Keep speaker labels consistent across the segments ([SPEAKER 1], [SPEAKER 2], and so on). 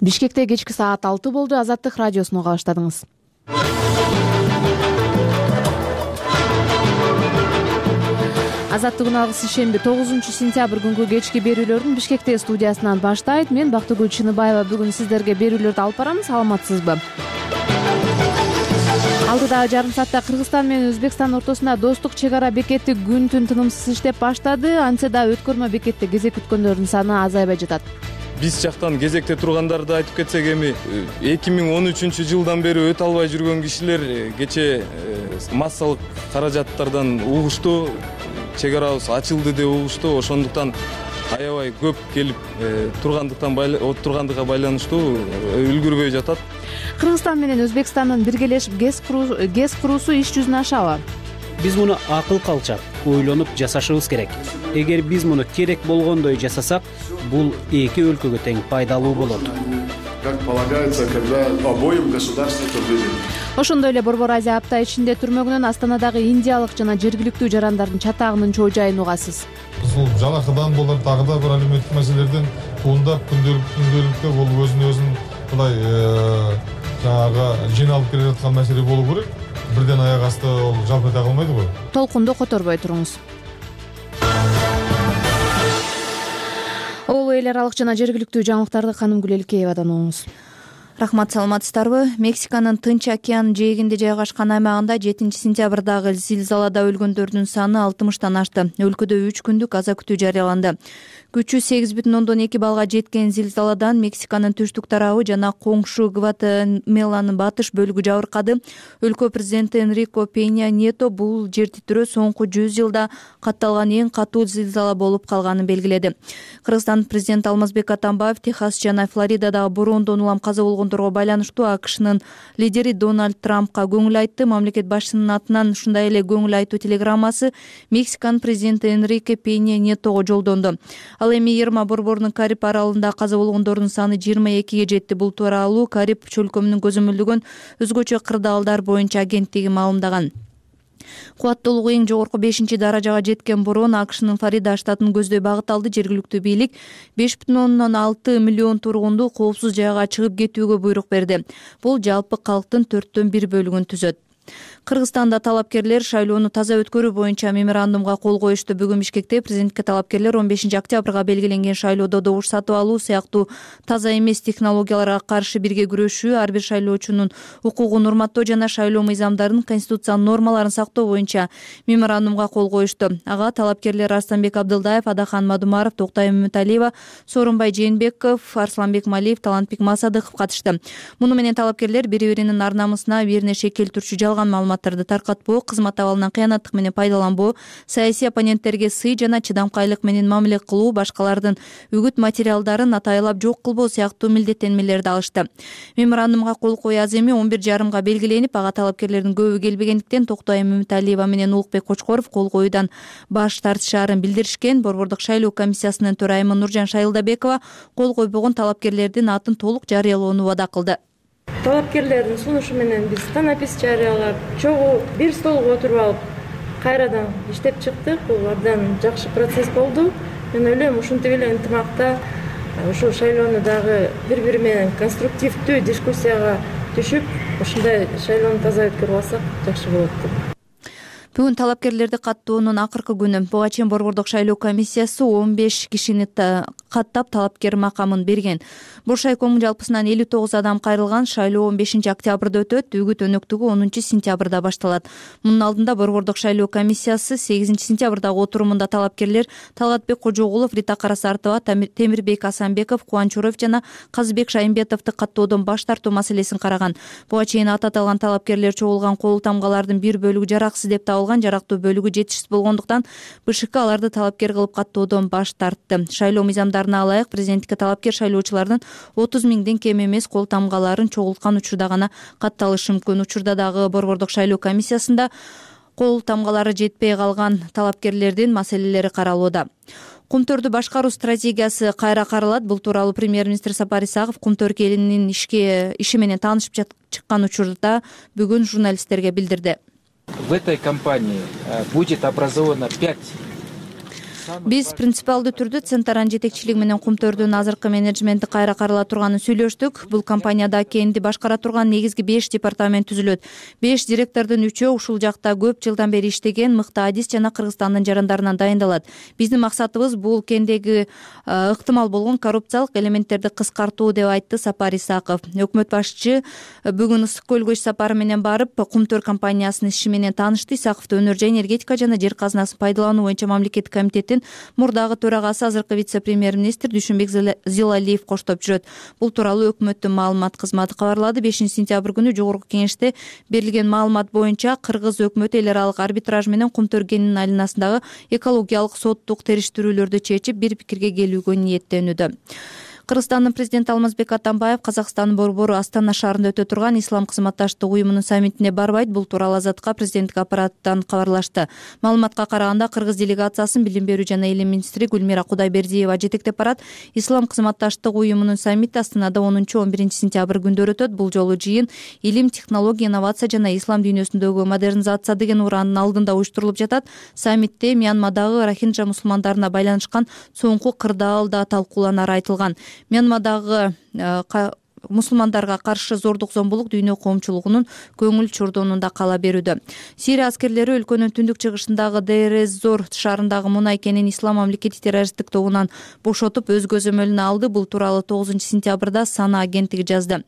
[SPEAKER 1] Бишкекте кечки саат 6 болду. Азаттык радиосуну уга баштадыңыз. Азаттыгын алгыс ишемби 9-сентябрь күнгү кечки берүүлөрдүн Бишкекте студиясынан баштайт. Мен Бактыгүл Чыныбаева бүгүн сиздерге берүүлөрдү алып барам. Саламатсызбы? Алдыдагы жарым саатта Кыргызстан менен Өзбекстан ортосунда достук чек ара бекети күн-түн тынымсыз иштеп баштады. Антсе да өткөрмө бекетте кезек күткөндөрдүн саны азайбай жатат.
[SPEAKER 2] Биз жактан кезекте тургандарды айтып кетсек, эми 2013-жылдан бери өтө албай жүргөн кишилер кечээ массалык каражаттардан угушту, чек арабыз ачылды деп угушту. Ошондуктан аябай көп келип тургандыгга байланыштуу үлгүрбөй жатат.
[SPEAKER 1] Кыргызстан менен Өзбекстандын биргелешип ГЭС куруусу иш жүзүнө ашабы?
[SPEAKER 3] Биз муну акыл калчак ойлонуп жасашыбыз керек. Эгер биз муну керек болгондой жасасак, бул эки өлкөгө тең пайдалуу болот.
[SPEAKER 4] Как полагается, когда обоим государствам выгодно.
[SPEAKER 1] Ошондой эле Борбор Азия апта ичинде түрмөгүнөн Астанадагы индиялык жана жергиликтүү жарандардын чатагынын чоо жайын угасыз.
[SPEAKER 5] Бул жалакыдан болор, дагы да бир алименттик маселелерден туурдап күндөлүктө бул өзүн мындай жанагы жыйналып келе жаткан маселе болуу керек. Бирден аяк асты ол жалп эте калмайдыбы?
[SPEAKER 1] Толкунду которбой туруңуз. Ол эл аралык жана жергиликтүү жаңылыктарды Канымгүл Элкеевадан угуңуз.
[SPEAKER 6] Рахмат, саламатсыздарбы? Мексиканын Тынч океан жээгинде жайгашкан аймагында 7-сентябрдагы зилзалада өлгөндөрдүн саны 60-тан ашты. Өлкөдө 3 күндүк аза күтүү жарыяланды. Күчү 8,2 балга жеткен зилзаладан Мексиканын түштүк тарабы жана коңшу Гватемаланын батыш бөлүгү жабыркады. Өлкө президенти Энрике Пенья Nieto бул жер титирөө соңку 100 жылда катталган эң катуу зилзала болуп калганын белгиледи. Кыргызстан президенти Алмазбек Атамбаев Техас жана Флоридадагы бороондон улам каза болгондорго байланыштуу АКШнын лидери Дональд Трампка көңүл айтты. Мамлекет башчысынын атынан ушундай эле көңүл айтуу телеграммасы Мексиканын президенти Энрике Пенья Nieto'го жолдонду. Ал эми Ирма борборунун Кариб аралында каза болгондордун саны 22-ге жетти. Бул тууралуу Кариб чөлкөмүнүн көзөмөлдөгөн өзгөчө кырдаалдар боюнча агенттиги маалымдаган. Кубаттуулугу эң жогорку 5-даражага жеткен бороон АКШнын Флорида штатын көздөй багыт алды. Жергиликтүү бийлик 5,6 миллион тургунду коопсуз жайга чыгып кетүүгө буйрук берди. Бул жалпы калктын 4/1 бөлүгүн түзөт. Кыргызстанда талапкерлер шайлоону таза өткөрүү боюнча меморандумга кол коюшту. Бүгүн Бишкекте президентке талапкерлер 15-октябрга белгиленген шайлоодо добуш сатып алуу сыяктуу таза эмес технологияларга каршы бирге күрөшүү, ар бир шайлоочунун укугун урматтоо жана шайлоо мыйзамдарын, конституциянын нормаларын сактоо боюнча меморандумга кол коюшту. Ага талапкерлер Арстанбек Абдылдаев, Адахан Мадумаров, Токтай Үмүталиева, Сооронбай Жээнбеков, Арсланбек Малиев, Талантбек Масадыков катышты. Муну менен талапкерлер бири-биринин ар намысына бернеше келтирүүчү жалган маалыматтарды таркатпоо, кызмат абалынан кыянаттык менен пайдаланбоо, саясий оппоненттерге сый жана чыдамкайлык менен мамиле кылуу, башкалардын үгүт материалдарын атайлап жок кылбоо сыяктуу милдеттенмелерди алышты. Меморандумга кол кою аз эми 11:30 белгиленип, ага талапкерлердин көбү келбегендиктен Токтай Үмүталиева менен Улукбек Кочкоров кол коюудан баш тартышаарын билдиришкен. Борбордук шайлоо комиссиясынын төрайымы Нуржан Шайылдабекова кол койбогон талапкерлердин атын толук жарыялоону убада кылды.
[SPEAKER 7] Талапкерлердин сунушу менен биз танапис жарыялап, чогуу бир столго отуруп алып, кайрадан иштеп чыктык. Бул абдан жакшы процесс болду. Мен ойлойм, ушинтип эле ынтымакта ушул шайлоону дагы бири-бири менен конструктивдүү дискуссияга түшүп, ушундай шайлоону таза өткөрүп алсак жакшы болот деп.
[SPEAKER 6] Бүгүн талапкерлерди каттоонун акыркы күнү. Буга чейин Борбордук шайлоо комиссиясы 15 кишини каттап талапкер макамын берген. Боршайкомдун жалпысынан 59 адам кайрылган. Шайлоо 15-октябрда өтөт. Үгүт өнөктүгү 10-сентябрда башталат. Мунун алдында Борбордук шайлоо комиссиясы 8-сентябрдагы отурумунда талапкерлер Талгатбек Кожогулов, Рита Карасартова, Темирбек Асанбеков, Кубанчуров жана Казыбек Шайымбетовду каттоодон баш тартуу маселесин караган. Буга чейин аталган талапкерлер чогулган кол тамгалардын бир бөлүгү жараксыз деп жарактуу бөлүгү жетишсиз болгондуктан БШК аларды талапкер кылып каттоодон баш тартты. Шайлоо мыйзамдарына ылайык президенттикке талапкер шайлоочулардын 30 миңден кем эмес кол тамгаларын чогулткан учурда гана катталышы мүмкүн. Учурда дагы Борбордук шайлоо комиссиясында кол тамгалары жетпей калган талапкерлердин маселелери каралууда. Кумтөрдү башкаруу стратегиясы кайра каралат. Бул тууралуу премьер-министр Сапар Исаков Кумтөр келинин иши менен таанышып чыккан учурда бүгүн журналисттерге билдирди.
[SPEAKER 8] В этой компании будет образовано 5
[SPEAKER 6] Биз принципиалдуу түрдө Центран жетекчилиги менен Кумтөрдүн азыркы менеджменти кайра карала турганын сүйлөштүк. Бул компанияда кенди башкара турган негизги 5 департамент түзүлөт. 5 директордун 3-өө ушул жакта көп жылдан бери иштеген мыкты адис жана Кыргызстандын жарандарынан дайындалат. Биздин максатыбыз бул кендеги ыктымал болгон коррупциялык элементтерди кыскартуу, деп айтты Сапар Исаков. Өкмөт башчы бүгүн Ысык көлгө иш сапары менен барып, Кумтөр компаниясынын иши менен таанышты. Исаковду өнөр жай энергетика жана жер казынасын пайдалануу боюнча мамлекеттик комитеттин мурдагы төрагасы, азыркы вице-премьер-министр Дүйшөнбек Зилалиев коштоп жүрөт. Бул тууралуу өкмөттүн маалымат кызматы кабарлады. 5-сентябрь күнү жогорку кеңеште берилген маалымат боюнча Кыргыз өкмөтү эл аралык арбитраж менен Кумтөр кенинин айланасындагы экологиялык соттук териштирүүлөрдү чечип бир пикирге келүүгө ниеттенүүдө. Кыргызстандын президенти Алмазбек Атамбаев Казакстандын борбору Астана шаарында өтө турган Ислам кызматташтык уюмунун саммитине барбайт. Бул тууралуу Азаттыкка президенттик аппараттан кабарлашты. Маалыматка караганда, Кыргыз делегациясын билим берүү жана илим министри Гүлмира Кудайбердиева жетектеп барат. Ислам кызматташтык уюмунун саммити Астанада 10-11 сентябрь күндөрү өтөт. Бул жолу жыйын илим, технология, инновация жана ислам дүйнөсүндөгү модернизация деген ураанын алдында уюштурулуп жатат. Саммитте Мьянмадагы рохинджа мусулмандарына байланышкан соңку кырдаал да талкууланары айтылган. Мьянмадагы мусулмандарга каршы зордук зомбулук дүйнө коомчулугунун көңүл чордонунда кала берүүдө. Сирия аскерлери өлкөнүн түндүк чыгышындагы Дейр-эз-Зор шаарындагы мунай кенин Ислам мамлекети террористтик тобунан бошотуп өз көзөмөлүнө алды. Бул тууралуу 9-сентябрда Сана агенттиги жазды.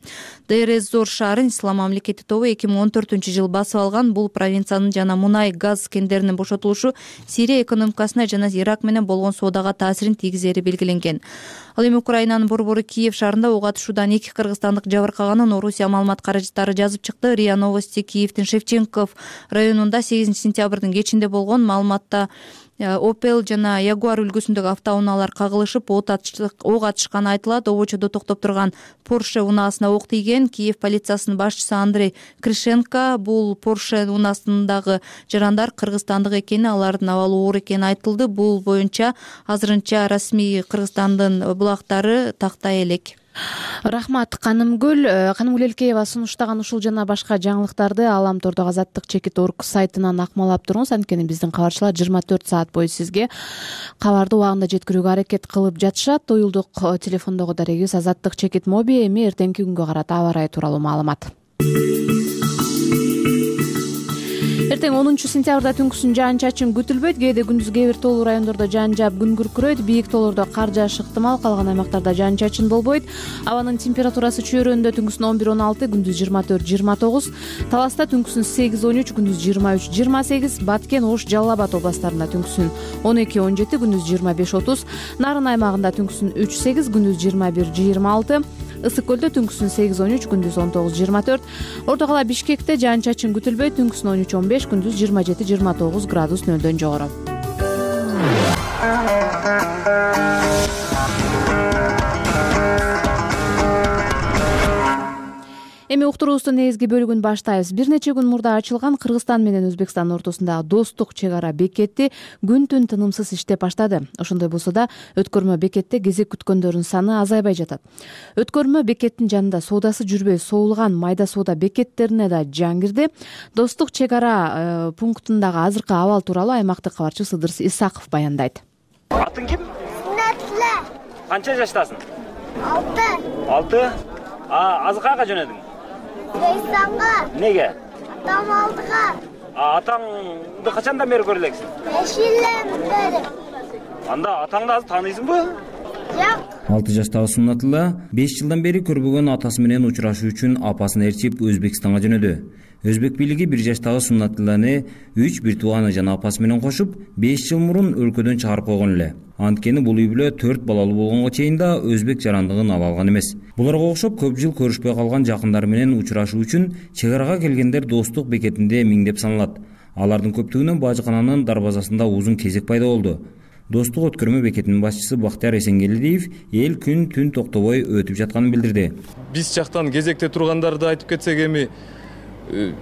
[SPEAKER 6] Дейр-эз-Зор шаарын Ислам мамлекети тобу 2014-жылы басып алган. Бул провинциянын жана мунай газ кендеринин бошотулушу Сирия экономикасына жана Ирак менен болгон соодага таасирин тийгизери белгиленген. Ал эми Украинанын борбору Киев шаарында ок атышуудан 2 кыргызстандык жабыркаганын Орусия маалымат каражаттары жазып чыкты. РИА Новости Киевдин Шевченков районунда 8-сентябрдын кечинде болгон. Маалыматта Opel жана Jaguar үлгүсүндөгү автоунаалар кагылышып, ок атышканы айтылат. Обочодо токтоп турган Porsche унаасына ок тийген. Киев полициясынын башчысы Андрей Кришенко бул Porsche унаасындагы жарандар кыргызстандык экени, алардын абалы оор экени айтылды. Бул боюнча азырынча расмий Кыргызстандын булактары тактай элек.
[SPEAKER 1] Рахмат, Канымгүл Элкеева сунуштаган ушул жана башка жаңылыктарды Аламтордогу Азаттык чекит.org сайтынан акмалап туруңуз. Анткени биздин кабарчылар 24 саат бою сизге кабарды убагында жеткирүүгө аракет кылып жатышат. Уюлдук телефондогу дарегибиз Азаттык чекит моби. Эми эртеңки күнгө карата аба ырайы тууралуу маалымат. Эртең 10-сентябрда түнкүсүн жаан-чачын күтүлбөйт. Кээде күндүз кээ бир тоолуу райондордо жаан жаап күн күркүрөйт. Бийик тоолордо кар жааш ыктымал, калган аймактарда жаан-чачын болбойт. Абанын температурасы чөйрөндө түнкүсүн 11-16, күндүз 24-29, Таласта түнкүсүн 8-13, күндүз 23-28, Баткен, Ош, Жалал Абад областарында түнкүсүн 12-17, күндүз 25-30, Нарын аймагында түнкүсүн 3-8, күндүз 21-26, Ысык көлдө түнкүсүн 8-13, күндүз 19-24, Орто кала Бишкекте жаан-чачын күтүлбөйт, түнкүсүн 13-15, күндүз 27-29 градус нөлдөн жогору. Эми уктуруубуздун негизги бөлүгүн баштайбыз. Бир нече күн мурда ачылган Кыргызстан менен Өзбекстан ортосундагы достук чек ара бекети күн-түн тынымсыз иштеп баштады. Ошондой болсо да өткөрмө бекетте кезек күткөндөрдүн саны азайбай жатат. Өткөрмө бекеттин жанында соодасы жүрбөй соолган майда соода бекеттерине да жан кирди. Достук чек ара пунктундагы азыркы абал тууралуу аймактык кабарчы Сыдыр Исаков баяндайт.
[SPEAKER 8] Атың ким? Сунатла. Канча жаштасың? 6. Азыр кайга жөнөдүң? Өзбекстанга. Неге? Атам алдыга. Атаңды качандан бери көрө элексиң? 5 жылдан бери. Анда атаңды азыр тааныйсыңбы? Жок.
[SPEAKER 9] 6 жаштагы Сунатла 5 жылдан бери көрбөгөн атасы менен учурашуу үчүн апасын ээрчип Өзбекстанга жөнөдү. Өзбек бийлиги 1 жаштагы Суннатланы 3 бир тууганы жана апасы менен кошуп 5 жыл мурун өлкөдөн чыгарып койгон эле. Анткени бул үй бүлө 4 балалуу болгонго чейин да өзбек жарандыгын ала алган эмес. Буларга окшоп көп жыл көрүшпөй калган жакындары менен учурашуу үчүн чек арага келгендер достук бекетинде миңдеп саналат. Алардын көптүгүнөн бажыкананын дарбазасында узун кезек пайда болду. Достук өткөрмө бекетинин башчысы Бактияр Эсенгелдиев эл күн-түн токтобой өтүп жатканын билдирди.
[SPEAKER 2] Биз жактан кезекте тургандарды айтып кетсек, эми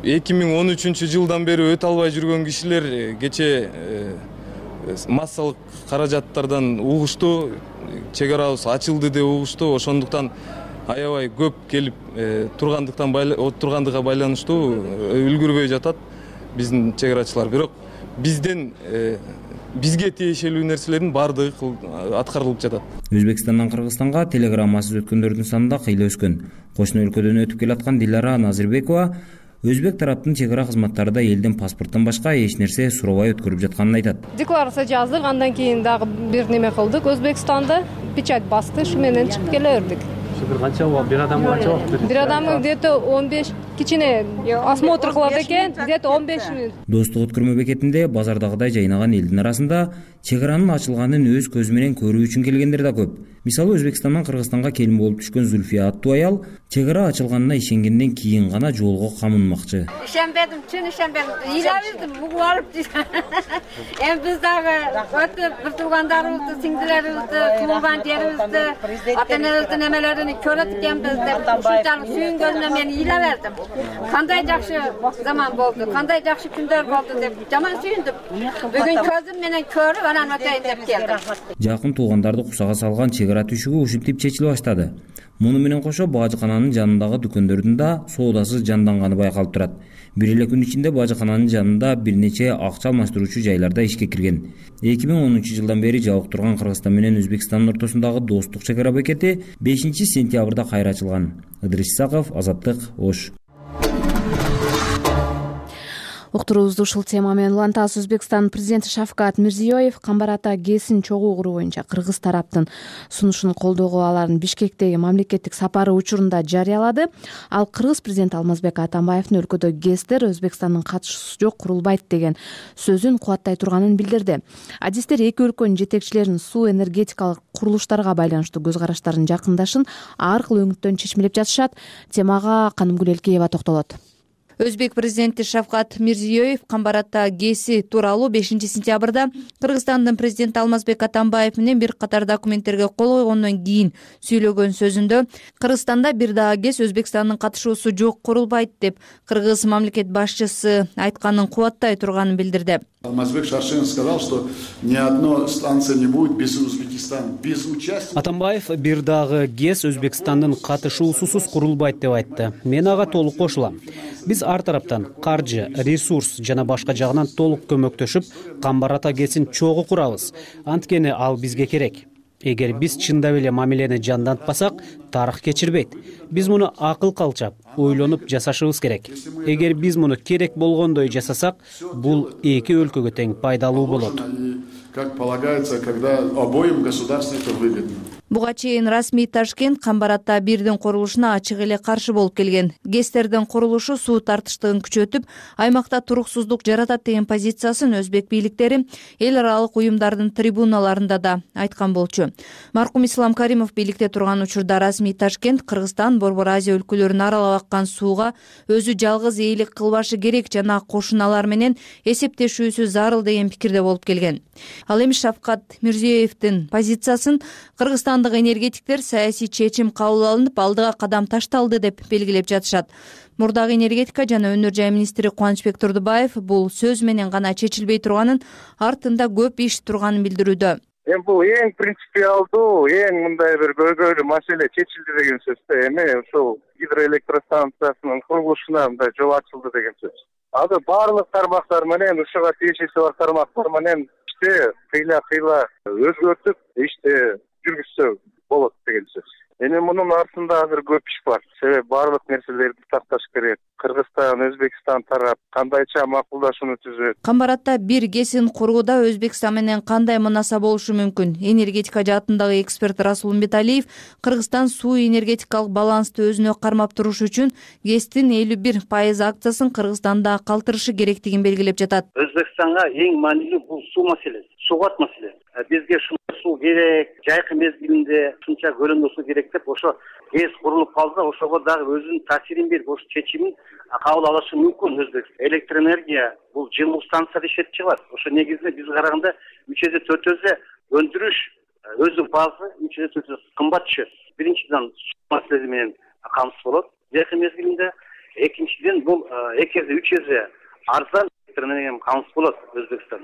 [SPEAKER 2] 2013 жылдан бери өтө албай жүргөн кишилер кече массалык каражаттардан угушту, чек арабыз ачылды деп угушту. Ошондуктан аябай көп келип тургандыгына байланыштуу үлгүрбөй жатат биздин чек арачылар. Бирок бизден бизге тиешелүү нерселердин баардыгы аткарылып жатат.
[SPEAKER 9] Өзбекстандан Кыргызстанга телеграммасыз өткөндөрдүн саны да кыйла өскөн. Кошуна өлкөдөн өтүп келаткан Дилара Назирбекова өзбек тараптын чек ара кызматтары да элдин паспорттон башка эч нерсе сурабай өткөрүп жатканын айтат.
[SPEAKER 10] Декларация жаздык, андан кийин дагы бир неме кылдык. Өзбекстанда печать басты, ушу менен чыгып келе бердик.
[SPEAKER 3] Бир канча бир адамга канча убакыт?
[SPEAKER 10] Бир адамга где-то 15 кичине осмотр кылат экен, где-то 15 мүнөт.
[SPEAKER 9] Достук өткөрмө бекетинде базардагыдай жайнаган элдин арасында чек аранын ачылганын өз көзү менен көрүү үчүн келгендер да көп. Мисалы Өзбекстандан Кыргызстанга келин болуп түшкөн Зульфия аттуу аял чек ара ачылганына ишенгенден кийин гана жолго камынмакчы.
[SPEAKER 11] Ишенбедим, чын ишенбедим. Ыйлабыздым, бугуп алып эми биз дагы өтүп бир туугандарыбызды, сиңдилерибизди, туулган жерибизди, ата-энебиздин эмелерин көрөт экенбиз деп ушунчалык сүйүнгөнүмө мен ыйла бердим. Кандай жакшы заман болду, кандай жакшы күндөр болду деп жаман сүйүндүм. Бүгүн көзүм менен көрүп анан өтөйүн деп келдим.
[SPEAKER 9] Жакын туугандарды кусага салган чек ара түшүгү ушинтип чечиле баштады. Муну менен кошо бажыкананын жанындагы дүкөндөрдүн да соодасы жанданганы байкалып турат. Бир эле күн ичинде бажыкананын жанында бир нече акча алмаштыруучу жайларда ишке кирген. 2010-жылдан бери жабык турган Кыргызстан менен Өзбекстандын ортосундагы достук чек ара бекети 5-сентябрда кайра ачылган. Ыдырыс Исаков, Азаттык, Ош.
[SPEAKER 1] Уктуруубузду ушул тема менен улантабыз. Өзбекстан президенти Шавкат Мирзиёев Камбар Ата ГЭСин чогуу куруу боюнча кыргыз тараптын сунушун колдоого аларын Бишкектеги мамлекеттик сапары учурунда жарыялады. Ал кыргыз президенти Алмазбек Атамбаевдин өлкөдө ГЭСтер Өзбекстандын катышуусу жок курулбайт деген сөзүн кубаттай турганын билдирди. Адистер эки өлкөнүн жетекчилеринин суу энергетикалык курулуштарга байланыштуу көз караштарынын жакындашын ар кыл өңүттөн чечмелеп жатышат. Темага Канымгүл Элкеева токтолот.
[SPEAKER 6] Өзбек президенти Шавкат Мирзиёев Камбар Ата ГЭСи тууралуу 5-сентябрда Кыргызстандын президенти Алмазбек Атамбаев менен бир катар документтерге кол койгондон кийин сүйлөгөн сөзүндө Кыргызстанда бир дагы ГЭС Өзбекстандын катышуусу жок курулбайт деп кыргыз мамлекет башчысы айтканын кубаттай турганын билдирди.
[SPEAKER 4] Алмазбек Шаршенов сказал, что ни одной станции не будет без Узбекистана, без участия.
[SPEAKER 3] Атамбаев бир дагы ГЭС Өзбекстандын катышуусусуз курулбайт деп айтты. Мен ага толук кошулам. Биз ар тараптан каржы, ресурс жана башка жагынан толук көмөктөшүп, Камбар Ата ГЭСин чогуу курабыз. Анткени ал бизге керек. Эгер биз чындап эле мамилени жандантпасак, тарых кечирбейт. Биз муну акыл калчап, ойлонуп жасашыбыз керек. Эгер биз муну керек болгондой жасасак, бул эки өлкөгө тең пайдалуу болот.
[SPEAKER 4] Как полагается, когда обоим государствам это выгодно.
[SPEAKER 6] Буга чейин расмий Ташкент Камбар Ата 1дин курулушуна ачык эле каршы болуп келген. ГЭСтердин курулушу суу тартыштыгын күчөтүп, аймакта туруксуздук жаратат деген позициясын өзбек бийликтери эл аралык уюмдардын трибуналарында да айткан болчу. Маркум Ислам Каримов бийликте турган учурда расмий Ташкент Кыргызстан, Борбор Азия өлкөлөрүн аралап аккан сууга өзү жалгыз ээлик кылбашы керек жана кошуналар менен эсептешүүсү зарыл деген пикирде болуп келген. Ал эми Шавкат Мирзиёевдин позициясын Кыргызстан энергетиктер саясий чечим кабыл алынып, алдыга кадам ташталды деп белгилеп жатышат. Мурдагы энергетика жана өнөр жай министри Кубанычбек Турдубаев бул сөз менен гана чечилбей турганын, артында көп иш турганын билдирүүдө.
[SPEAKER 12] Эми бул эң принципиалдуу, эң мындай бир көйгөйлүү маселе чечилди деген сөз. Эми ушул гидроэлектростанциясынын курулушуна мындай жол ачылды деген сөз. Азыр баардык тармактар менен, ушуга тиешеси бар тармактар менен иште кыйла өзгөртүп, иште жүргүзсө болот деген сөз. Эми мунун артында азыр көп иш бар. Себеби баардык нерселерди такташ керек. Кыргызстан, Өзбекстан тарап кандайча макулдашууну түзөт.
[SPEAKER 6] Камбар Ата 1 ГЭСин курууда Өзбекстан менен кандай мунаса болушу мүмкүн? Энергетика жаатындагы эксперт Расул Умбеталиев Кыргызстан суу энергетикалык балансты өзүнө кармап туруш үчүн ГЭСтин 51% акциясын Кыргызстанда калтырышы керектигин белгилеп жатат.
[SPEAKER 13] Өзбекстанга эң маанилүү бул суу маселеси, суугат маселе. Бизге суу керек, жайкы мезгилинде ушунча көлөмдө суу керек деп ошо ГЭС курулуп калса, ошого дагы өзүнүн таасирин берип, ош чечимин кабыл алышы мүмкүн. Өзбекстан электроэнергия бул жылуу станцияда иштетип чыгат. Ошо негизинде биз караганда 3-4 эсе өндүрүш өзү базы 3-4 эсе кымбат түшөт. Биринчиден суу маселеси менен камсыз болот жайкы мезгилинде. Экинчиден бул 2-3 эсе арзан электр энергияга камсыз болот Өзбекстан.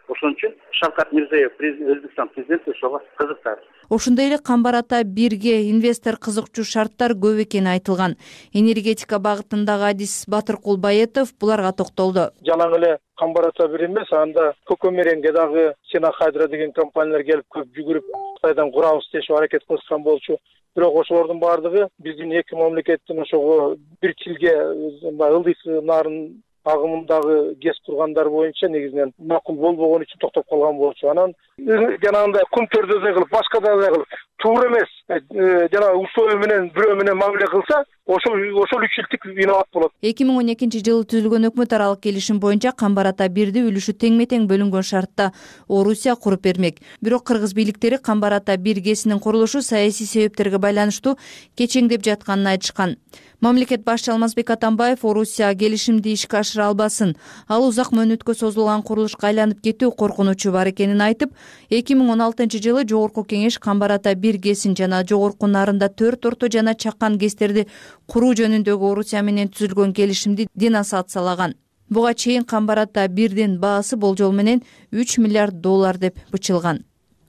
[SPEAKER 13] Ошон үчүн Шавкат Мирзиёев, Өзбекстан президенти ошого кызыктар.
[SPEAKER 6] Ошондой эле Камбар Ата 1ге инвестор кызыкчу шарттар көп экени айтылган. Энергетика багытындагы адис Батыркул Баетов буларга токтолду.
[SPEAKER 14] Жалаң эле Камбар Ата 1 эмес, анда Көкөмеренге дагы Сена Хайдра деген компаниялар келип көп жүгүрүп Кытайдан курабыз дешип аракет кылышкан болчу. Бирок ошолордун баардыгы биздин эки мамлекеттин ошого бир тилге ылдый нарын агымындагы ГЭС кургандар боюнча негизинен макул болбогон үчүн токтоп калган болчу. Анан жанагындай кум төрдөзөй кылып, башкадай кылып туура эмес жанагы условия менен бирөө менен мамиле кылса, ошол үчүлтүк виноват болот.
[SPEAKER 6] 2012 жылы түзүлгөн өкмөт аралык келишим боюнча Камбар Ата 1ди үлүшү теңме-тең бөлүнгөн шартта Орусия куруп бермек. Бирок кыргыз бийликтери Камбар Ата 1 ГЭСинин курулушу саясий себептерге байланыштуу кечеңдеп жатканын айтышкан. Мамлекет башчы Алмазбек Атамбаев Орусия келишимди ишке ашыра албасын, ал узак мөөнөткө созулган курулушка айланып кетүү коркунучу бар экенин айтып, 2016 жылы Жогорку Кеңеш Камбар Ата 1 ГЭСин жана жогорку нарында 4 орто жана чакан ГЭСтерди куруу жөнүндөгү Орусия менен түзүлгөн келишимди денонсациялаган. Буга чейин Камбар Ата 1дин баасы болжол менен $3 миллиард деп бычылган.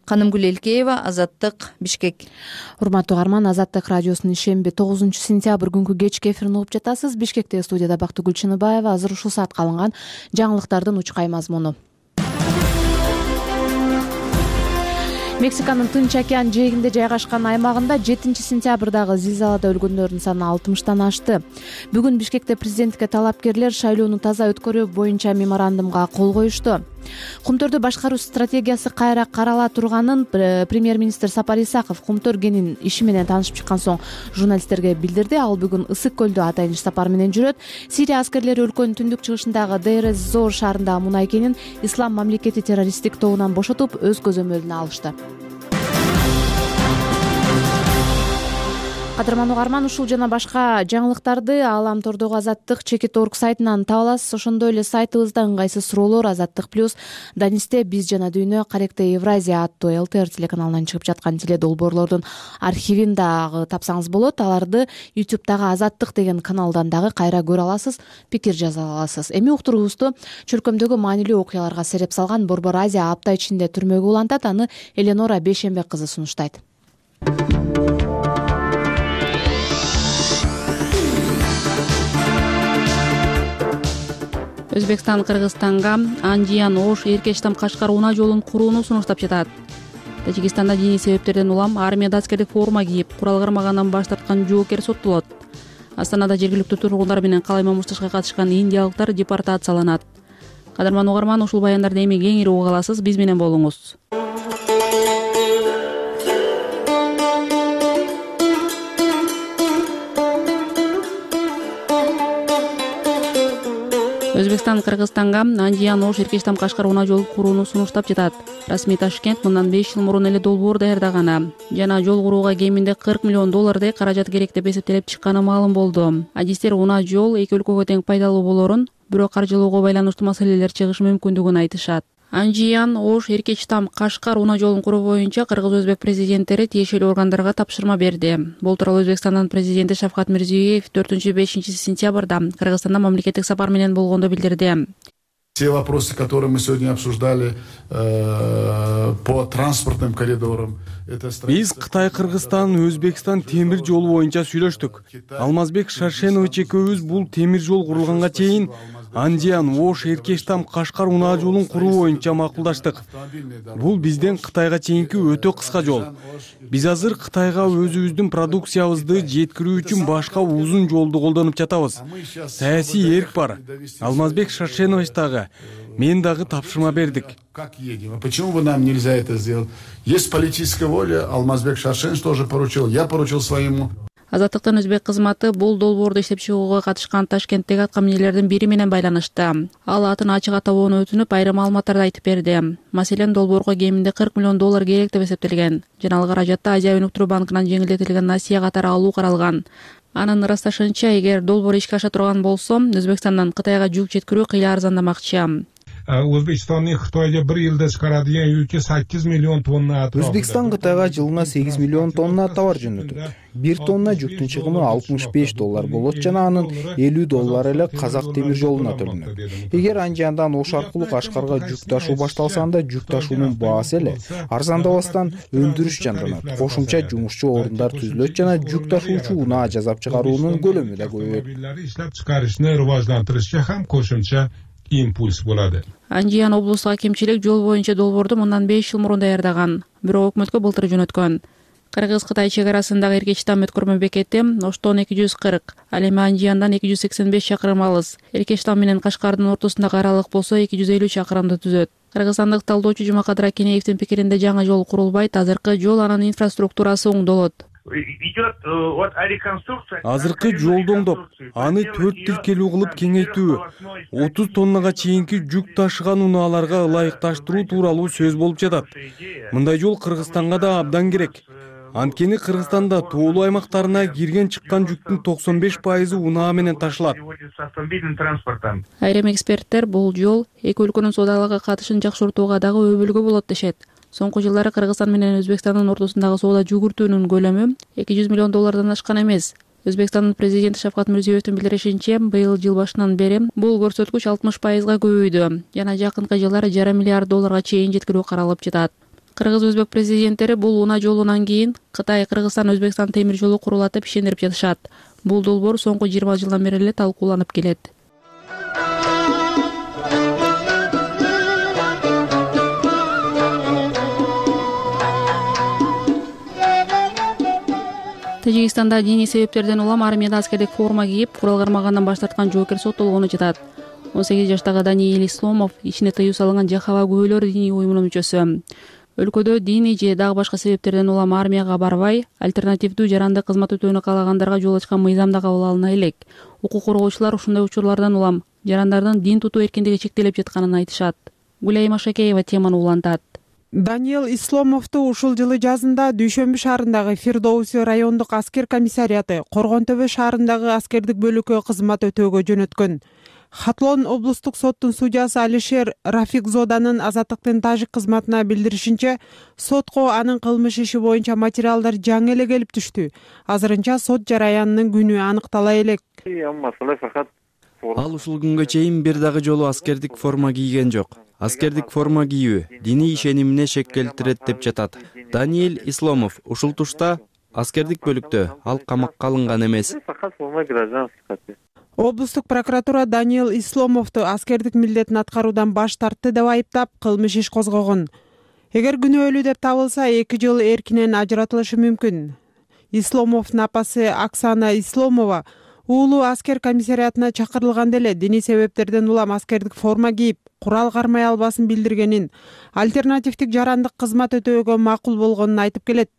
[SPEAKER 6] Канымгүл Элкеева, Азаттык, Бишкек.
[SPEAKER 1] Урматтуу угарман, Азаттык радиосунун ишемби 9 сентябрь күнкү кечки эфирин угуп жатасыз. Бишкекте студияда Бактыгүл Чыныбаева. Азыр ушул саатка алынган жаңылыктардын учкай мазмуну. Мексиканын Тынч океан жээгинде жайгашкан аймагында 7 сентябрдагы зилзалада өлгөндөрдүн саны 60тан ашты. Бүгүн Бишкекте президентке талапкерлер шайлоону таза өткөрүү боюнча меморандумга кол коюшту. Кумтөрдү башкаруу стратегиясы кайра карала турганын премьер-министр Сапар Исаков Кумтөр-Генин иши менен таанышып чыккан соң журналисттерге билдирди. Ал бүгүн Ысык көлдө атайын иш сапар менен жүрөт. Сирия аскерлери өлкөнүн түндүк чыгышындагы Дейр-эз-Зор шаарындагы мунай кенин Ислам мамлекети террористтик тобунан бошотуп, өз көзөмөлүнө алышты. Кадырман угарман, ушул жана башка жаңылыктарды Ааламтордогу Азаттык Чекит.org сайтынан таба аласыз. Ошондой эле сайтыбызда ыңгайсыз суроолор Азаттык плюс Данисте биз жана дүйнө, Каректе Евразия аттуу ЛТР телеканалынан чыгып жаткан теледолбоорлордун архивин дагы тапсаңыз болот. Аларды YouTube'дагы Азаттык деген каналдан дагы кайра көрө аласыз, пикир жаза аласыз. Эми уктуруубузду чөлкөмдөгү маанилүү окуяларга сереп салган Борбор Азия апта ичинде түрмөгө улантат. Аны Эленора Бейшембек кызы сунуштайт.
[SPEAKER 15] Өзбекстан Кыргызстанга Анжиян Ош Эркештам Кашкар унаа жолун курууну сунуштап жатат. Тажикистанда диний себептерден улам армияда аскердик форма кийип, курал кармагандан баш тарткан жоокер соттолот. Астанада жергиликтүү тургундар менен калай мамышташка катышкан индиялыктар депортацияланат. Кадырман угарман, ушул баяндарды эми кеңири уга аласыз, биз менен болуңуз. Өзбекстан Кыргызстанга Анжиян Ош Эркештам Кашкар унаа жолун курууну сунуштап жатат. Расмий Ташкент мындан 5 жыл мурун эле долбоор даярдаганы жана жол курууга кеминде $40 миллион каражат керек деп эсептелип чыкканы маалым болду. Адистер унаа жол эки өлкөгө тең пайдалуу болорун, бирок каржылоого байланыштуу маселелер чыгышы мүмкүндүгүн айтышат. Анжиян Ош Эркештам Кашкар унаа жолун куруу боюнча кыргыз-өзбек президенттери тиешелүү органдарга тапшырма берди. Бул тууралуу Өзбекстандын президенти Шавкат Мирзиёев 4-5 сентябрда Кыргызстанда мамлекеттик сапар менен болгондо билдирди.
[SPEAKER 4] Те вопросы, которые мы сегодня обсуждали по транспортным коридорам.
[SPEAKER 16] Биз Кытай, Кыргызстан, Өзбекстан темир жолу боюнча сүйлөштүк. Алмазбек Шаршенович экөөбүз бул темир жол курулганга чейин Анжиян Ош Эркештам Кашкар унаа жолун куруу боюнча макулдаштык. Бул бизден Кытайга чейинки өтө кыска жол. Биз азыр Кытайга өзүбүздүн продукциябызды жеткирүү үчүн башка узун жолду колдонуп жатабыз. Саясий эрк бар. Алмазбек Шаршенович дагы, мен дагы тапшырма бердик.
[SPEAKER 4] Как едем? Почему бы нам нельзя это сделать? Есть политическая воля, Алмазбек Шаршенович тоже поручил, я поручил своему.
[SPEAKER 15] Азаттыктын өзбек кызматы бул долбоорду иштеп чыгууга катышкан Ташкенттеги аткаминерлердин бири менен байланышты. Ал атын ачык атабоону өтүнүп, айрым маалыматтарды айтып берди. Маселен, долбоорго кеминде $40 миллион керек деп эсептелген. Жана ал каражатта Азия өнүктүрүү банкынан жеңилдетилген насыя катары алуу каралган. Анын ырасташынча, эгер долбоор ишке аша турган болсо, Өзбекстандан Кытайга жүк жеткирүү кыйла арзандамакчы.
[SPEAKER 17] Өзбекстанның Қытайға бір жылда шығарadigan yüke 8 миллион тонна аты.
[SPEAKER 18] Өзбекстан Кытайга жылына 8 миллион тонна товар жөнөтөт. 1 тонна жүктүн чыгымы $65 болот жана анын $50 эле Казак темир жолуна төлөнөт. Эгер Анжияндан Ош аркылуу Кашкарга жүк ташуу башталса, анда жүк ташуунун баасы эле арзандабастан өндүрүш жанданат. Кошумча жумушчу орундар түзүлөт жана жүк ташуучу унаа жасап чыгаруунун көлөмү да көбөйөт.
[SPEAKER 17] Иштеп чыгарышны рыважлантырышка ham кошумча импульс болот.
[SPEAKER 15] Анжиян облустук акимчилик жол боюнча долбоорду мындан 5 жыл мурун даярдаган, бирок өкмөткө былтыр жөнөткөн. Кыргыз-Кытай чек арасындагы Эркечтам өткөрмө бекети Оштон 240, ал эми Анжияндан 285 чакырым алыс. Эркечтам менен Кашкардын ортосундагы аралык болсо 250 чакырымды түзөт. Кыргызстандык талдоочу Жумакадыр Акенеевдин пикиринде жаңы жол курулбайт, азыркы жол анын инфраструктурасы оңдолот.
[SPEAKER 16] Азыркы жолду оңдоп, аны 4 тилкелүү кылып кеңейтүү, 30 тоннага чейинки жүк ташыган унааларга ылайыкташтыруу тууралуу сөз болуп жатат. Мындай жол Кыргызстанга да абдан керек. Анткени Кыргызстанда тоолуу аймактарына кирген чыккан жүктүн 95% унаа менен ташылат.
[SPEAKER 15] Айрым эксперттер бул жол эки өлкөнүн соодалык катышын жакшыртууга дагы өбөлгө болот дешет. Соңку жылдары Кыргызстан менен Өзбекстандын ортосундагы соода жүгүртүүнүн көлөмү $200 миллион ашкан эмес. Өзбекстандын президенти Шавкат Мирзиёевдин билдиришинче, быйыл жыл башынан бери бул көрсөткүч 60%га көбөйдү. Жана жакынкы жылдары $1,5 миллиард чейин жеткирүү каралып жатат. Кыргыз-Өзбек президенттери бул унаа жолунан кийин Кытай, Кыргызстан, Өзбекстан темир жолу курулат деп ишендирип жатышат. Бул долбоор соңку 20 жылдан бери эле талкууланып келет. Тажикстанда диний себептерден улам армияда аскердик форма кийип, курал кармагандан баш тарткан жоокер соттолгону жатат. 18 жаштагы Даниил Исломов ичине тыюу салынган Жахава күбөлөр диний уюмунун мүчөсү. Өлкөдө диний же дагы башка себептерден улам армияга барбай, альтернативдүү жарандык кызмат өтөөнү каалагандарга жол ачкан мыйзам да кабыл алына элек. Укук коргоочулар ушундай учурлардан улам жарандардын дин тутуу эркиндиги чектелип жатканын айтышат. Гүлайым Ашакеева теманы улантат.
[SPEAKER 19] Даниил Исломовду ушул жылы жазында Дүйшөмбү шаарындагы Фирдоуси райондук аскер комиссариаты Коргон Төбө шаарындагы аскердик бөлүккө кызмат өтөөгө жөнөткөн. Хатлон облустук соттун судьясы Алишер Рафикзоданын азаттыктын тажик кызматына билдиришинче, сотко анын кылмыш иши боюнча материалдар жаңы эле келип түштү. Азырынча сот жараянынын күнү аныктала элек.
[SPEAKER 20] Ал ушул күнгө чейин бир дагы жолу аскердик форма кийген жок. Аскердик форма кийүү диний ишенимине шек келтирет деп жатат. Даниил Исломов ушул тушта аскердик бөлүктө, ал камакка алынган эмес.
[SPEAKER 19] Облустук прокуратура Даниил Исломовду аскердик милдетин аткаруудан баш тартты деп айыптап, кылмыш иш козгогон. Эгер күнөөлүү деп табылса, 2 жыл эркинен ажыратылышы мүмкүн. Исломовдун апасы Оксана Исломова уулу аскер комиссариатына чакырылганда эле диний себептерден улам аскердик форма кийип, курал кармай албасын билдиргенин, альтернативдик жарандык кызмат өтөөгө макул болгонун айтып келет.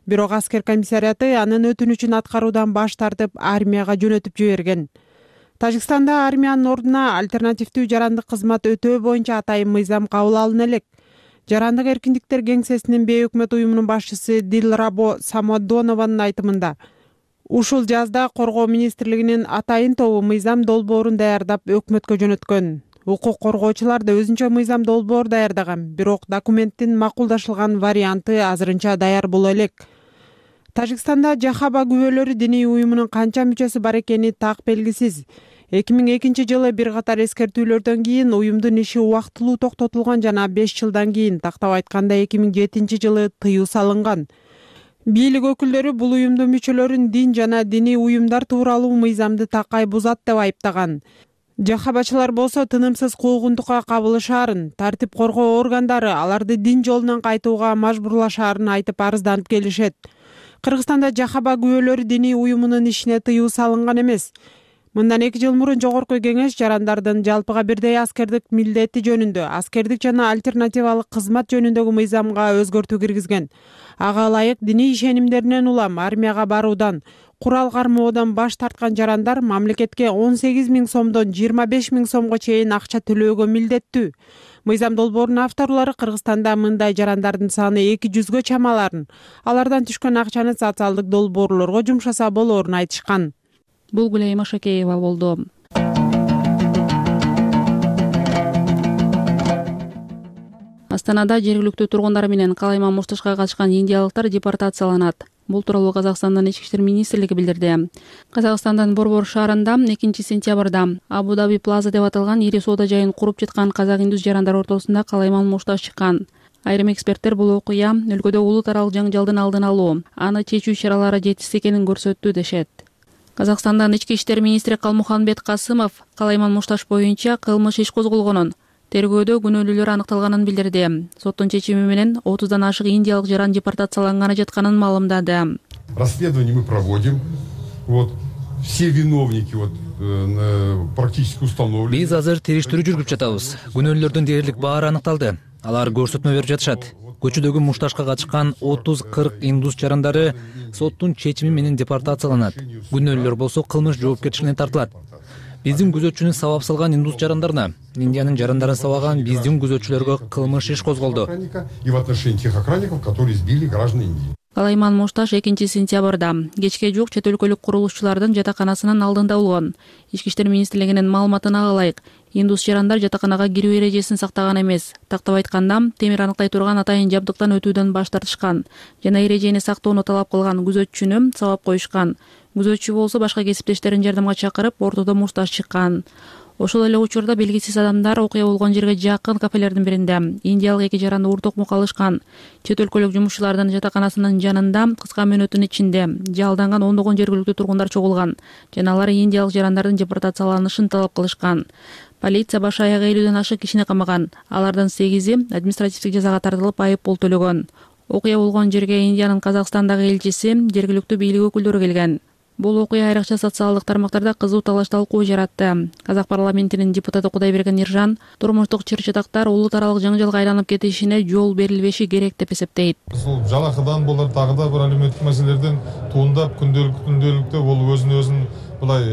[SPEAKER 19] Бирок аскер комиссариаты анын өтүнүчүн аткаруудан баш тартып, армияга жөнөтүп жиберген. Тажикстанда армиянын ордуна альтернативдүү жарандык кызмат өтөө боюнча атайын мыйзам кабыл алына элек. Жарандык эркиндиктер кеңсесинин бейөкмөт уюмунун башчысы Дилрабо Самодонованын айтымында, ушул жазда Коргоо министрлигинин атайын тобу мыйзам долбоорун даярдап өкмөткө жөнөткөн. Укук коргоочулар да өзүнчө мыйзам долбоор даярдаган, бирок документтин макулдашылган варианты азырынча даяр боло элек. Тажикстанда Жахаба күбөлөрү диний уюмунун канча мүчөсү бар экени так белгисиз. 2002 жылы бир катар эскертүүлөрдөн кийин уюмдун иши убактылуу токтотулган жана 5 жылдан кийин, тактап айтканда 2007 жылы тыюу салынган. Бийлик өкүлдөрү бул уюмдун мүчөлөрүн дин жана диний уюмдар тууралуу мыйзамды такай бузат деп айыптаган. Жахабачылар болсо тынымсыз куугунтукка кабылышаарын, тартип коргоо органдары аларды дин жолунан кайтууга мажбурлашаарын айтып арызданып келишет. Кыргызстанда Жахаба күбөлөрү диний уюмунун ишине тыюу салынган эмес. Мындан 2 жыл мурун Жогорку Кеңеш жарандардын жалпыга бирдей аскердик милдети жөнүндө, аскердик жана альтернативалык кызмат жөнүндөгү мыйзамга өзгөртүү киргизген. Ага ылайык диний ишенимдеринен улам армияга баруудан, курал кармоодон баш тарткан жарандар мамлекетке 18 000 сомдон 25 000 сомго чейин акча төлөөгө милдеттүү. Мыйзам долбоорунун авторлору Кыргызстанда мындай жарандардын саны 200гө чамаларын, алардан түшкөн акчаны социалдык долбоорлорго жумшаса болоорун айтышкан.
[SPEAKER 15] Бул Гүлайым Ашакеева болду. Астанада жергиликтүү тургундар менен калайман мушташка катышкан индиялыктар депортацияланат. Бул тууралуу Казакстандын Ички иштер министрлиги билдирди. Казакстандын Борбор шаарында 2 сентябрда Абу Даби Плаза деп аталган ири соода жайын куруп жаткан казак-индус жарандар ортосунда калайман мушташ чыккан. Айрым эксперттер бул окуя өлкөдө улут аралык жаңжалдын алдын алуу, аны чечүү чаралары жетишсиз экенин көрсөттү дешет. Казакстандын Ички иштер министри Калмуханбет Касымов калайман мушташ боюнча кылмыш иш козголгонун, тергөөдө күнөөлүүлөр аныкталганын билдирди. Соттун чечими менен 30дан ашык индиялык жаран депортацияланганы жатканын маалымдады.
[SPEAKER 21] Расследование мы проводим. Все виновники практически установлены.
[SPEAKER 22] Биз азыр териштирүү жүргүзүп жатабыз. Күнөөлүүлөрдүн дээрлик баары аныкталды. Алар көрсөтмө берип жатышат. Көчөдөгү мушташка катышкан 30-40 индус жарандары соттун чечими менен депортацияланат. Күнөөлүүлөр болсо кылмыш жоопкерчилигине тартылат. Биздин күзөтчүнү сабап салган индус жарандарына, Индиянын жарандарын сабаган биздин күзөтчүлөргө кылмыш иш козголду.
[SPEAKER 21] И в отношении тех охранников, которые избили граждан Индии.
[SPEAKER 15] Калайман мушташ 2 сентябрда кечке жук чет өлкөлүк курулушчулардын жатаканасынын алдында болгон. Ички иштер министрлигинин маалыматына ылайык, индус жарандар жатаканага кирүү эрежесин сактаган эмес. Тактап айтканда, темир аныктай турган атайын жабдыктан өтүүдөн баш тартышкан жана эрежени сактоону талап кылган күзөтчүнү сабап коюшкан. Күзөтчү болсо башка кесиптештерин жардамга чакырып, ортодо мушташ чыккан. Ошол эле учурда белгисиз адамдар окуя болгон жерге жакын кафелердин биринде индиялык 2 жаранды уртокмукка алышкан. Чет өлкөлүк жумушчулардын жатаканасынын жанында кыска мөөнөттүн ичинде жалданган ондогон жергиликтүү тургундар чогулган жана алар индиялык жарандардын депортацияланышын талап кылышкан. Полиция баш аяк 50ден ашык кишини камаган. Алардын 8и административдик жазага тартылып айып пул төлөгөн. Окуя болгон жерге Индиянын Казакстандагы элчиси, жергиликтүү бийлик өкүлдөрү келген. Бул окуя айрыкча социалдык тармактарда кызуу талаш талкуу жаратты. Казак парламентинин депутаты Кудайберген Иржан турмуштук чыр-чатактар улут аралык жаңжалга айланып кетишине жол берилбеши керек деп эсептейт.
[SPEAKER 5] Ушул жалакыдан болор дагы да бир алиметтик маселелерден туындап күндөлүктө бул өзүн булай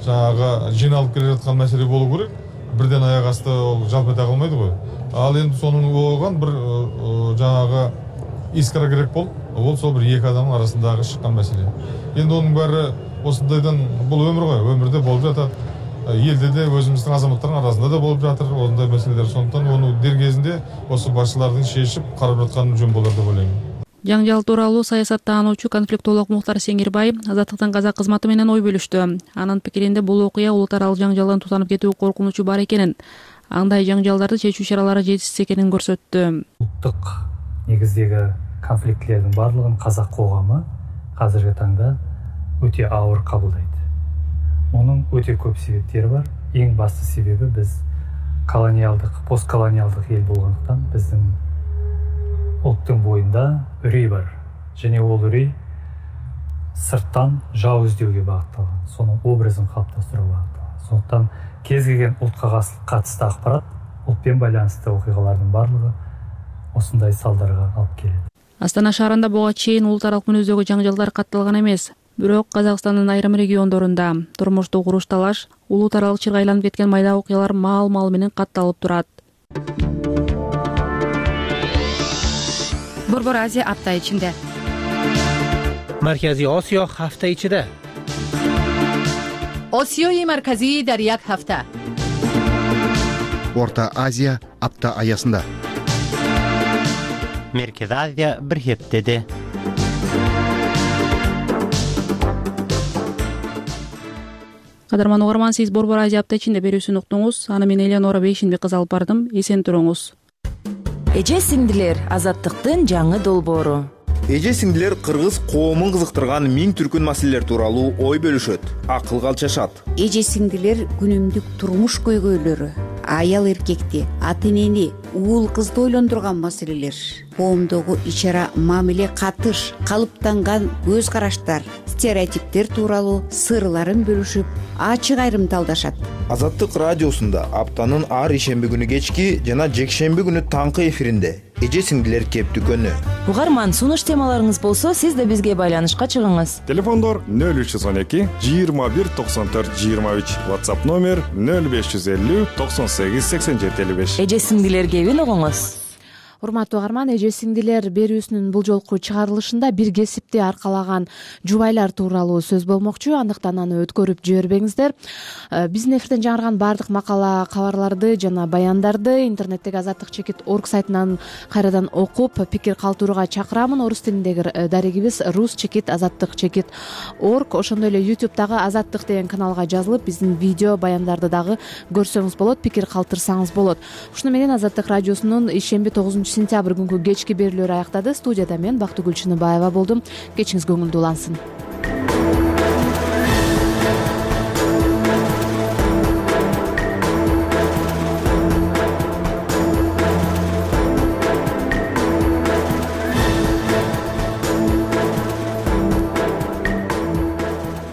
[SPEAKER 5] жанагы жиналып келе жаткан маселе болуу керек. Бирден аяк асты ол жалп эте калмайды го. Ал эми сонун болгон бир жанагы искра керек болуп, ол сол бир 2 адамдын арасындагы чыккан маселе. Енді оның бәрі осындайдан бұл өмір ғой, өмірде болып жатады. Елде де өзіміздің азаматтардың арасында да болып жатыр осындай мәселелер. Сондықтан оны дер кезінде осы басшылардың шешіп қарап жатқаны жөн болар деп ойлаймын.
[SPEAKER 15] Жаңжал тууралуу саясаттаануучу конфликтолог Мухтар Сеңирбай Азаттыктын казак кызматы менен ой бөлүштү. Анын пикиринде бул окуя улут аралык жаңжалдан тутанып кетүү коркунучу бар экенин, андай жаңжалдарды чечүү чаралары жетишсиз экенин көрсөттү.
[SPEAKER 23] Улуттук негиздеги конфликтилердин баардыгын казак коому азыркы таңда өтө ауыр кабылдайт. Мунун өтө көп себептери бар. Эң басты себеби биз колониалдык, постколониалдык эл болгондуктан биздин улуттун боюнда үрөй бар. Және ол үрөй сырттан жау издөөгө багытталган, сонун образын калыптастырууга багытталган. Сондуктан кез келген ултка катысты акпарат, ултпен байланысты окуялардын баардыгы осындай салдарга алып келет.
[SPEAKER 15] Астана шаарында буга чейин улут аралык мүнөздөгү жаңжалдар катталган эмес. Бирок Казакстандын айрым региондорунда турмуштук уруш талаш, улут аралык чырга айланып кеткен майда окуялар маал менен катталып турат.
[SPEAKER 24] Борбор Азия апта ичинде.
[SPEAKER 25] Марказий Осиё ҳафта ичида.
[SPEAKER 24] Осиёи марказӣ дар як ҳафта.
[SPEAKER 26] Орта Азия апта аясында.
[SPEAKER 25] Merkez Азия bir heftede.
[SPEAKER 15] Кадарман угарман, сиз Борбор Азия апта ичинде берүүсүн уктуңуз. Аны мен Элеонора Бейшинбек кызы алып бардым. Эсен туруңуз.
[SPEAKER 27] Эже сиңдилер Азаттыктын жаңы долбоору.
[SPEAKER 28] Эже сиңдилер кыргыз коомун кызыктырган миң түркүн маселелер тууралуу ой бөлүшөт, акылга алчашат.
[SPEAKER 29] Эже сиңдилер күнүмдүк турмуш көйгөйлөрү, аял эркекти, ата энени, уул кызды ойлондурган маселелер, коомдогу ичара мамиле катыш, калыптанган көз караштар, стереотиптер тууралуу сырларын бөлүшүп, ачык айрымталдашат.
[SPEAKER 28] Азаттык радиосунда аптанын ар ишемби күнү кечки жана жекшемби күнү таңкы эфиринде эже сиңдилер кептүкөнү.
[SPEAKER 27] Угарман, сунуш темаларыңыз болсо, сиз да бизге байланышка чыгыңыз.
[SPEAKER 30] Телефондор 0312 21 94 23, WhatsApp номер 0550 98 87 55.
[SPEAKER 27] Эже сиңдилер кебин угуңуз.
[SPEAKER 1] урматтуу угарман, эже сиңдилер берүүсүнүн бул жолку чыгарылышында бир кесипти аркалаган жубайлар тууралуу сөз болмокчу, андыктан аны өткөрүп жибербеңиздер. Биздин эфирден жаңырган баардык макала кабарларды жана баяндарды интернеттеги azattik.org сайтынан кайрадан окуп, пикир калтырууга чакырамын. Орус тилиндеги дарегибиз rus.azattik.org. Ошондой эле YouTube'дагы Азаттык деген каналга жазылып, биздин видео баяндарды дагы көрсөңүз болот, пикир калтырсаңыз болот. Ушуну менен Азаттык радиосунун ишемби 9-сентябрь күнкү кечки берүүлөрү аяктады. Студияда мен Бактыгүл Чыныбаева болдум. Кечиңиз көңүлдүү улансын.